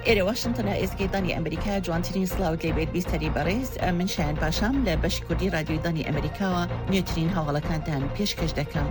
ئێرە واشنتنە ئێزگەی دەنگی ئەمریکا جوانترین سڵاوت لێ بێت بیستەری بەڕێز من شایان پاشام لە بەشی کوردی رادیۆی دەنگی ئەمریکاوە نوێترین هەواڵەکانتان پێشکەش دەکەم.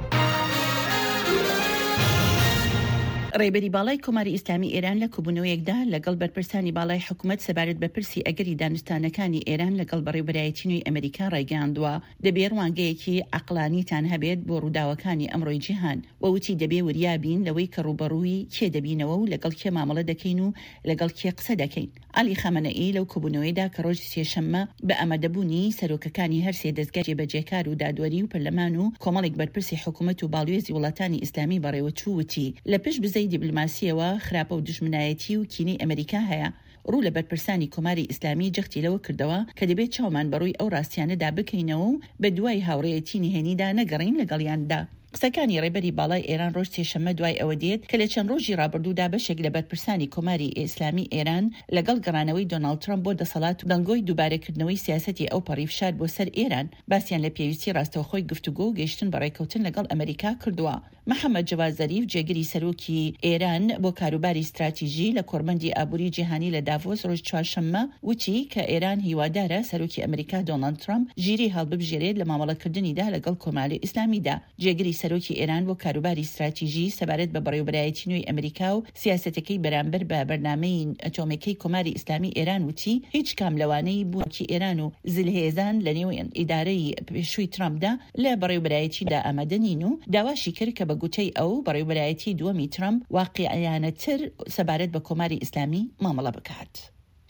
ڕێبەری باڵای کۆماری ئیسلامی ئێران لە کۆبوونەوەیەکدا لەگەڵ بەرپرسانی باڵای حکومەت سەبارەت بە پرسی ئەگەری دانوستانەکانی ئێران لەگەڵ بەڕێوبەرایەتی نوێی ئەمریکا ڕایگەیاندووە، دەبێ ڕوانگەیەکی عەقڵانیتان هەبێت بۆ ڕووداوەکانی ئەمڕۆی جیهان و وتی دەبێ وریا بین لەوەی کە ڕووبەڕووی کێ دەبینەوە و لەگەڵ کێ مامەڵە دەکەین و لەگەڵ کێ قسە دەکەین. عەلی خامەنەئی لەو کۆبوونەوەیەدا کە ڕۆژی سێشەممە بە ئامادەبوونی سەرۆکەکانی هەرسێ دەزگای جێبەجێکار و دادوەری و پەرلەمان و کۆمەڵێک بەرپرسی حکومەت و باڵیۆزی وڵاتانی ئیسلامی بەڕێوەچوو وتی لە پشت بزەی دیبلۆماسییەوە خراپە و دوژمنایەتی و کینەی ئەمەریکا هەیە ڕوو لە بەرپرسانی کۆماری ئیسلامی جەختی لەوە کردەوە کە دەبێت چاومان بە ڕووی ئەو ڕاستیانەدا بکەینەوە و بە دوای هاوڕێیەتی نهێنیدا نەگەڕێین لەگەڵیاندا. قسەکانی ڕێبەری باڵای ئێران ڕۆژ سێشەممە دوای ئەوە دێت کە لە چەند ڕۆژی ڕابردوودا بەشێک لە بەرپرسانی کۆماری ئیسلامی ئێران لەگەڵ گەڕانەوەی دۆناڵد ترەمپ بۆ دەسەڵات و دەنگۆی دووبارەکردنەوەی سیاسەتی ئەوپەڕی فشار بۆ سەر ئێران باسیان لە پێویستی ڕاستەوخۆی گفتوگۆ و گەیشتن بە ڕێککەوتن لەگەڵ ئەمەریکا کردووە. محەمەد جەواد زەریف، جێگری سەرۆکی ئێران بۆ کاروباری ستراتیژی لە کۆڕبەندی ئابووری جیهانی لە داڤۆس ڕۆژی چوارشەممە وتی کە ئێران هیوادارە سەرۆکی ئەمریکا دۆناڵد ترەمپ ژیری هەڵببژێرێت لە مامەڵەکردنیدا لەگەڵ کۆماری ئیسلامیدا. جێگری سەرۆکی ئێران بۆ کاروباری ستراتیژی سەبارەت بە بەڕێوبەرایەتی نوێی ئەمریکا و سیاسەتەکەی بەرامبەر بە بەرنامەی ئەتۆمێکەی کۆماری ئیسلامی ئێران وتی هیچ کام لەوانەی بوونی ئێران و زلهێزان لە نێو ئیدارەی پێشووی ترەمپدا لە بەڕێوبەرایەتیدا ئامادە نین و داواشی کرد کە بە گوتەی ئەو، بەڕێوبەرایەتی دووەمی ترەمپ واقیعیانەتر سەبارەت بە کۆماری ئیسلامی مامەڵە بکات.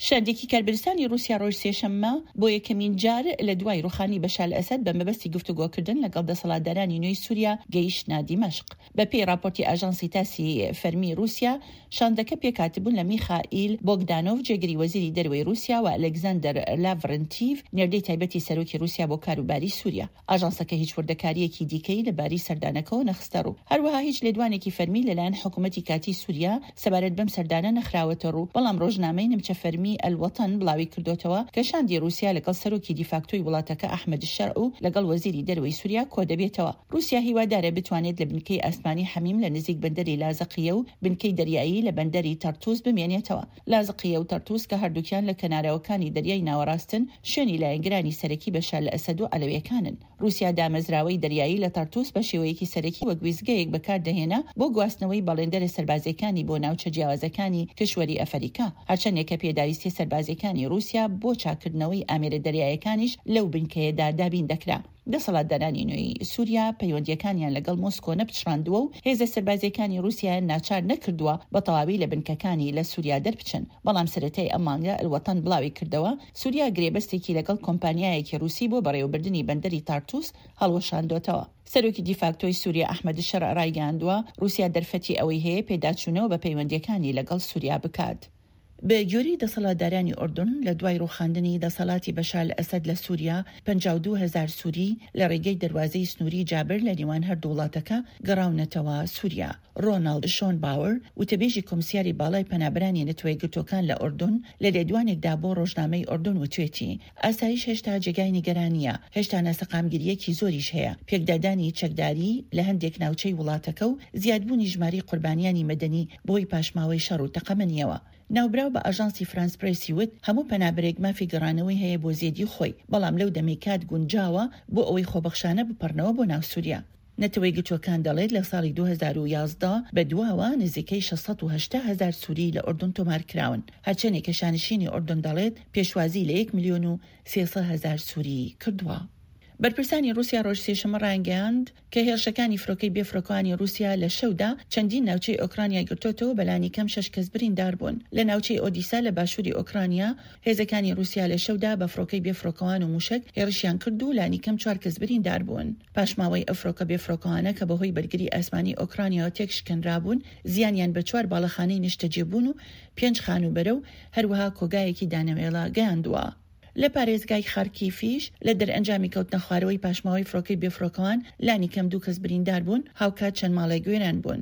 شاندێکی کاربەدەستانی ڕووسیا ڕۆژ سێشەممە بۆ یەکەمین جار لە دوای ڕووخانی بەشار ئەسەد بە مەبەستی گفتوگۆکردن لەگەڵ دەسەڵاتدارانی نوێی سووریا گەیشتنە دیمەشق. بە پێی ڕاپۆرتی ئاژانسی تاسی فەرمی ڕووسیا، شاندەکە پێکهاتبوون لە میخائیل بۆگدانۆڤ جێگری وەزیری دەرەوەی ڕووسیا و ئەلێکزاندەر لاڤرنتیڤ نێردەی تایبەتی سەرۆکی ڕووسیا بۆ کاروباری سووریا. ئاژانسەکە هیچ وردەکارییەکی دیکەی لە باری سەردانەکەوە نەخستەڕوو. هەروەها هیچ لێدوانێکی فەرمی لەلایەن حکومەتی کاتیی سووریا سەبارەت بەم سەردانە نەخراوەتەڕوو، بەڵام ڕۆژنامەی نمچە فەرمی ئەلوەتەن بڵاویکردۆتەوە کە شاندی ڕووسیا لەگەڵ سەرۆکی دیفاکتۆی وڵاتەکە ئەحمەد شەرع و لەگەڵ وەزیری دەرەوەی سووریا کۆدەبێتەوە. ڕووسیا هیوادارە بتوانێت لە بنکەی ئاسمانی حەمیم لە نزیک بەندەری لازقیە و بنکەی دەریایی لە بەندەری تەرتوس بمێنێتەوە. لازقیە و تەرتوس کە هەردووکیان لە کەناراوەکانی دەریای ناوەڕاستن، شوێنی لایەنگرانی سەرەکی بەشار ئەسەد و عەلەویەکانن. ڕووسیا دامەزراوەی دەریایی لە تەرتوس بە شێوەیەکی سەرەکی وەک وێستگەیەک بەکاردەهێنا بۆ گواستنەوەی بەڵێندەرە سەربازیەکانی بۆ ناوچە جیاوازەکانی کیشوەری ئەفەریکا، هەرچەندێکە پێداویستیە سەربازیەکانی ڕووسیا بۆ چاککردنەوەی ئامێرە دەریایەکانیش لەو بنکەیەدا دابین دەکرا. دەسەڵاتدارانی نوێی سوریا پەیوەندییەکانیان لەگەڵ مۆسکۆ نەپچڕاندووە و هێزە سەربازییەکانی ڕووسیایان ناچار نەکردووە بە تەواوی لە بنکەکانی لە سوریا دەربچن، بەڵام سەرەتای ئەم مانگە ئەلوەتەن بڵاویکردەوە، سوریا گرێبەستێکی لەگەڵ کۆمپانیایەکی ڕووسی بۆ بەڕێوەبردنی بەندەری تارتوس هەڵوەشاندۆتەوە. سەرۆکی دیفاکتۆی سوریا ئەحمەد شەرع ڕایگەیاندووە، ڕووسیا دەرفەتی ئەوەی هەیە پێداچوونەوە بە پەیوەندییەکانی لەگەڵ سوریا بکات. بە گوێرەی دەسەڵاتدارانی ئوردن، لە دوای ڕووخاندنی دەسەڵاتی بەشار ئەسەد لە سووریا، 52 هەزار سووری لە ڕێگەی دەروازەی سنووری جابر لە نێوان هەردوو وڵاتەکە گەڕاونەتەوە سووریا. ڕۆناڵد شۆنباوەر، وتەبێژی کۆمسیاری باڵای پەنابەرانی نەتەوەیەکگرتووەکان لە ئوردن، لە لێدوانێکدا بۆ ڕۆژنامەی ئوردن وتوێتی، ئاسایش هێشتا جێگای نیگەرانییە، هێشتا ناسەقامگیرییەکی زۆریش هەیە، پێکدادانی چەکداری لە هەندێک ناوچەی وڵاتەکە و زیادبوونی ژمارەی قوربانیانی مەدەنی بەهۆی پاشماوەی شەڕ و تەقەمەنییەوە. ناوبراو بە ئاژانسی فرانس پرێسی وت، هەموو پەنابەرێک مافی گەڕانەوەی هەیە بۆ زێدی خۆی، بەڵام لەو دەمەی کات گونجاوە بۆ ئەوەی خۆبەخشانە بپەڕنەوە بۆ ناو سوریا. نەتەوەیەکگرتووەکان دەڵێت لە ساڵی 2011 بەدواوە نزیکەی 680 هەزار سوری لە ئوردن تۆمارکراون، هەرچەندێکە شانشینی ئوردن دەڵێت پێشوازی لە یەک ملیۆن و 300 هەزار سوری کردووە. بەرپرسانی ڕووسیا ڕۆژ سێشەممە ڕایانگەیاند کە هێرشەکانی فرۆکەی بێفرۆکەوانی ڕووسیا لە شەودا چەندین ناوچەی ئۆکرانیای گرتۆتەوە بەلانی کەم شەش کەس بریندار بوون. لە ناوچەی ئۆدیسا لە باشووری ئۆکرانیا، هێزەکانی ڕووسیا لە شەودا بە فڕۆکەی بێفڕۆکەوان و مووشەک هێڕشیان کرد و لانیکەم چوار کەس بریندار بوون. پاشماوەی ئەو فڕۆکە بێفڕۆکەوانە کە بەهۆی بەرگری ئاسمانی ئۆکرانیاوە تێکشکێنرابوون، زیانیان بە چوار باڵەخانەی نیشتەجێبوون و پێنج خانووبەرە و هەروەها کۆگایەکی دانەوێڵە گەیاندووە. لە پارێزگای خارکیفیش لە دەرئەنجامی کەوتنەخوارەوەی پاشماوەی فڕۆکەی بێفڕۆکەوان لانیکەم دوو کەس بریندار بوون، هاوکات چەند ماڵێک وێران بوون.